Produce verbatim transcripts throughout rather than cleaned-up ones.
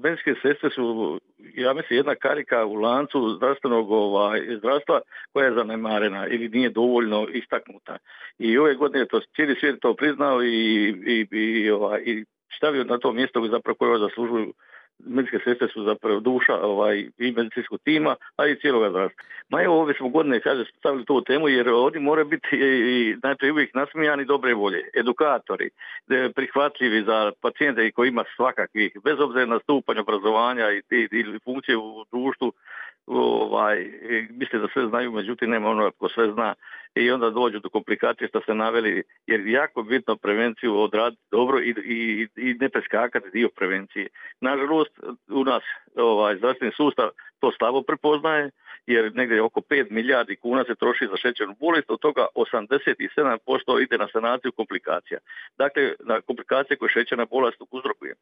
medicinske sestre su, ja mislim, jedna karika u lancu zdravstvenog ovaj, zdravstva koja je zanemarena ili nije dovoljno istaknuta. I ove godine to cijeli svijet to priznao i, i, i, ovaj, i stavio na to mjesto zapravo koje zaslužuju. Medicinske sestre su zapravo duša ovaj, i medicinskog tima, a i cijeloga zdravstva. Ma evo, ove smo godine, kaže, stavili tu temu, jer oni moraju biti i, znači, uvijek nasmijani dobre volje, edukatori, prihvatljivi za pacijente koji ima svakakvih, bez obzira na stupanj obrazovanja i, i, i funkcije u društvu, ovaj, misle da sve znaju, međutim nema ono ko sve zna i onda dođu do komplikacije što ste naveli, jer jako bitno prevenciju odraditi dobro i, i, i ne preskakati dio prevencije. Nažalost, u nas ovaj, zdravstveni sustav to slabo prepoznaje, jer negdje oko pet milijardi kuna se troši za šećernu bolest, od toga osamdeset sedam posto ide na sanaciju komplikacija. Dakle, na komplikacije koje šećerna bolest uzrokuje.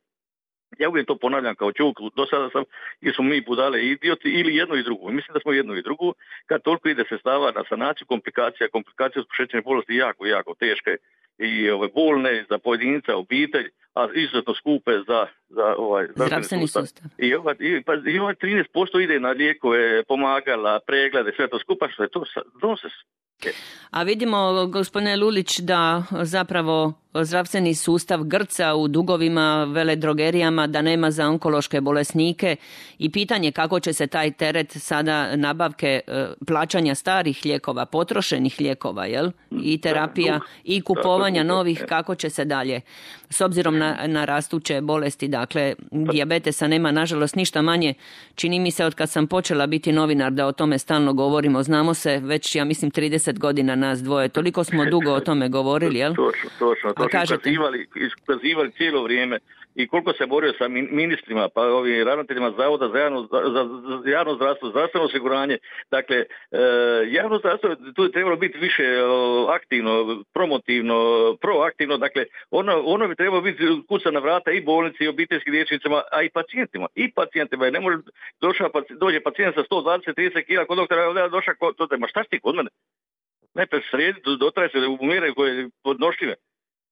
Ja uvijek to ponavljam kao čovjek, do sada sam, ili smo mi budale i idioti, ili jedno i drugo. Mislim da smo jedno i drugo, kad toliko ide se stava na sanaciju komplikacija, komplikacije su šećerne bolesti jako, jako teške i ove, bolne za pojedinca, obitelj, a izuzetno skupe za, za ovaj, zdravstveni sustav. sustav. I ovaj, i, pa, i ovaj trinaest posto ide na lijekove, pomagala, preglede, sve to skupa, što je to nonsens. A vidimo, gospodine Lulić, da zapravo zdravstveni sustav grca u dugovima, veledrogerijama, da nema za onkološke bolesnike i pitanje kako će se taj teret sada nabavke plaćanja starih lijekova, potrošenih lijekova, jel? I terapija i kupovanja novih, kako će se dalje. S obzirom na, na rastuće bolesti, dakle, dijabetesa nema nažalost ništa manje. Čini mi se od kad sam počela biti novinar da o tome stalno govorimo. Znamo se već, ja mislim, trideset godina nas dvoje. Toliko smo dugo o tome govorili, jel? Točno, točno. To su ukazivali, ukazivali cijelo vrijeme i koliko se borio sa ministrima, pa ovim ravnateljima Zavoda za javno, za, za javno zdravstvo, zdravstveno osiguranje. Dakle, e, javno zdravstvo tu je trebalo biti više o, aktivno, promotivno, proaktivno. Dakle, ono, ono bi trebalo biti kuca na vrata i bolnici, i obiteljskim liječnicima, a i pacijentima. I pacijentima. Ne može došao, dođe pacijent sa sto dvadeset trideset kila kod doktora, došao kod to, ma šta si ti kod mene? Najprije sredi, dotraje se u mjere koje je podnošljive.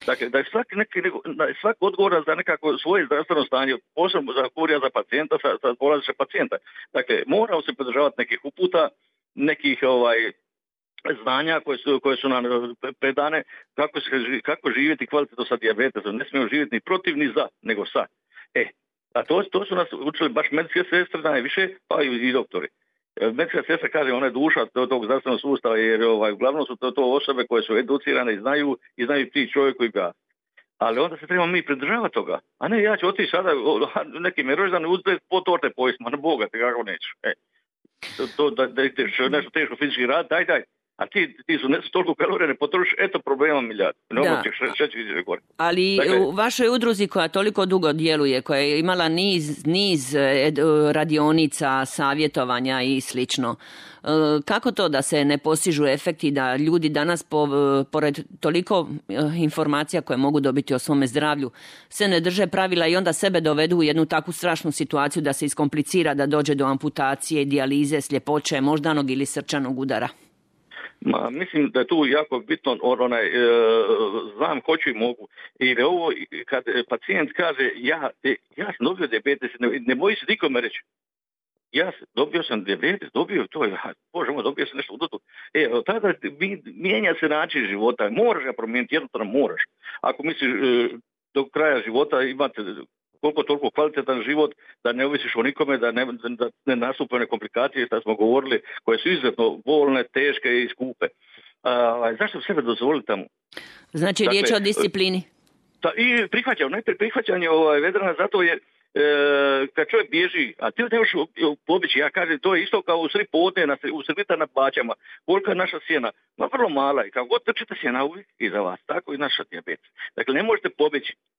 Dakle, da je svak, neki, da je svak odgovoran za nekako svoje zdravstveno stanje, posebno za kurija za pacijenta, sa, sa polaziša pacijenta. Dakle, moramo se podržavati nekih uputa, nekih ovaj, znanja koje su, koje su nam predane, kako, se, kako živjeti kvalitetno sa dijabetesom. Ne smijemo živjeti ni protiv, ni za, nego sa. E, a to, to su nas učili baš medicinske sestre najviše, pa i, i doktori. Medicinska sestra, kaže, ona je duša tog zdravstvenog sustava, jer ovaj, uglavnom su to, to osobe koje su educirane i znaju i znaju ti čovjek koji ga. Ali onda se trebamo mi pridržavati toga. A ne, ja ću otići sada neki mi rođendan uzeti po torte pojesti, ma ne Boga, te kako neću. E, to, to da, da ideš nešto teško fizički rad, daj, daj. A ti, ti su ne su toliko kalorije, ne potrošiš, eto problema milijard. Ne da. Gore. Ali dakle, u vašoj udruzi koja toliko dugo djeluje, koja je imala niz, niz radionica, savjetovanja i slično, kako to da se ne postižu efekti, da ljudi danas po, pored toliko informacija koje mogu dobiti o svome zdravlju se ne drže pravila i onda sebe dovedu u jednu takvu strašnu situaciju da se iskomplicira, da dođe do amputacije, dijalize, sljepoće, moždanog ili srčanog udara? Ma, mislim da je tu jako bitno onaj, e, znam, hoću i mogu. I ovo, kad pacijent kaže, ja, ja sam dobio dijabetes, ne, ne boji se nikome reći. Ja dobio sam dijabetes, dobio to, bože moj, dobio sam nešto udotu. E, tada mijenja se način života, moraš ga promijeniti, jednostavno moraš. Ako misliš do kraja života imate koliko toliko kvalitetan život, da ne ovisiš o nikome, da ne, da ne nastupaju komplikacije, što smo govorili, koje su izuzetno bolne, teške i skupe. A, zašto sebe dozvoliti tamo? Znači, dakle, riječ o disciplini. Ta, I prihvaćanje, najprije prihvaćanje ovaj, vedrana, zato je E, kad čovjek bježi, a ti ne možeš pobići, ja kažem, to je isto kao u sri podne, na, u srvita na baćama, kolika je naša sjena, ma vrlo mala i kao god trčite sjena uvijek iza vas, tako i naša dijabetes. Dakle, ne možete pobići,